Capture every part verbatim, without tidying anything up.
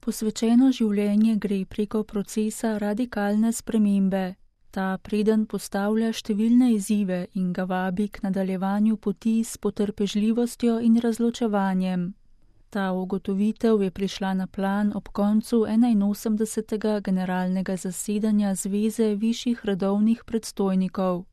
Posvečeno življenje gre preko procesa radikalne spremembe. Ta preden postavlja številne izzive in ga vabi k nadaljevanju poti s potrpežljivostjo in razločevanjem. Ta ugotovitev je prišla na plan ob koncu enainosemdesetega generalnega zasedanja Zveze višjih redovnih predstojnikov.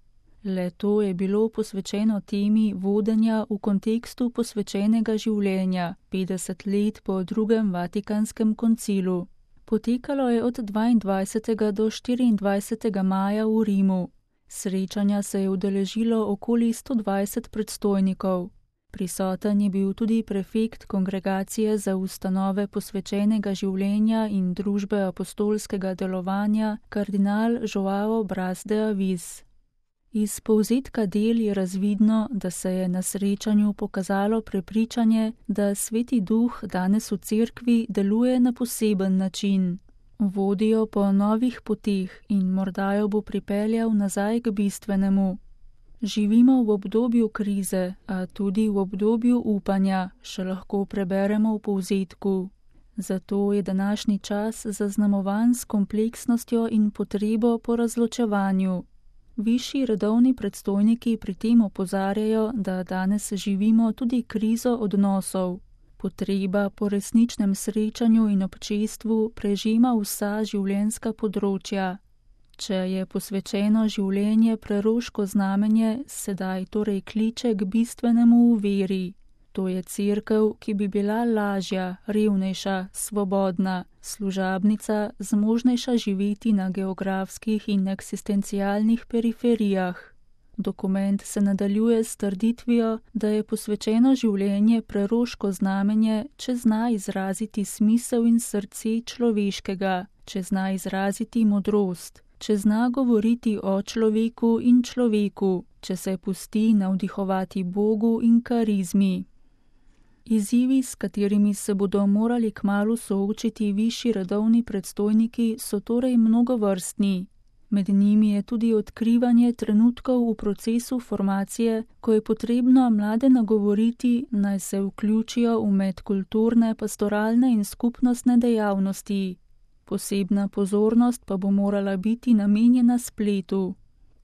Le to je bilo posvečeno temi vodenja v kontekstu posvečenega življenja petdeset let po drugem Vatikanskem koncilu. Potekalo je od dvaindvajsetega do štiriindvajsetega maja v Rimu. Srečanja se je udeležilo okoli sto dvajset predstojnikov. Prisoten je bil tudi prefekt Kongregacije za ustanove posvečenega življenja in družbe apostolskega delovanja, kardinal Joao Braz de Avis. Iz povzetka del je razvidno, da se je na srečanju pokazalo prepričanje, da Sveti Duh danes v cerkvi deluje na poseben način. Vodi jo po novih poteh in morda jo bo pripeljal nazaj k bistvenemu. Živimo v obdobju krize, a tudi v obdobju upanja, še lahko preberemo v povzetku. Zato je današnji čas zaznamovan s kompleksnostjo in potrebo po razločevanju. Višji redovni predstojniki pri tem opozarjajo, da danes živimo tudi krizo odnosov. Potreba po resničnem srečanju in občestvu prežema vsa življenjska področja. Če je posvečeno življenje preroško znamenje, sedaj torej kliče k bistvenemu v veri. To je cerkev, ki bi bila lažja, revnejša, svobodna, služabnica, zmožnejša živeti na geografskih in eksistencialnih periferijah. Dokument se nadaljuje s trditvijo, da je posvečeno življenje preroško znamenje, če zna izraziti smisel in srce človeškega, če zna izraziti modrost, če zna govoriti o človeku in človeku, če se pusti navdihovati Bogu in karizmi. Izzivi, s katerimi se bodo morali kmalu soočiti višji redovni predstojniki, so torej mnogovrstni. Med njimi je tudi odkrivanje trenutkov v procesu formacije, ko je potrebno mlade nagovoriti, naj se vključijo v medkulturne, pastoralne in skupnostne dejavnosti. Posebna pozornost pa bo morala biti namenjena spletu.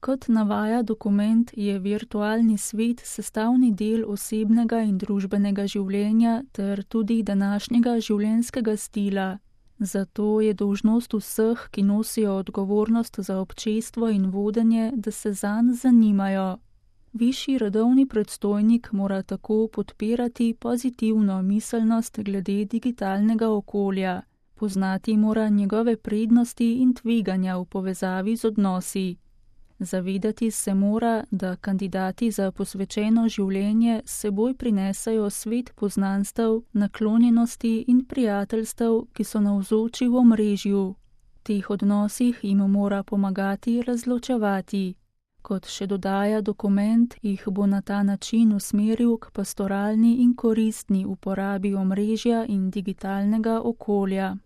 Kot navaja dokument, je virtualni svet sestavni del osebnega in družbenega življenja ter tudi današnjega življenjskega stila. Zato je dolžnost vseh, ki nosijo odgovornost za občestvo in vodenje, da se zanj zanimajo. Višji redovni predstojnik mora tako podpirati pozitivno miselnost glede digitalnega okolja. Poznati mora njegove prednosti in tveganja v povezavi z odnosi. Zavedati se mora, da kandidati za posvečeno življenje seboj prinesajo svet poznanstev, naklonjenosti in prijateljstev, ki so navzoči v omrežju. V teh odnosih jim mora pomagati razločevati. Kot še dodaja dokument, jih bo na ta način usmeril k pastoralni in koristni uporabi omrežja in digitalnega okolja.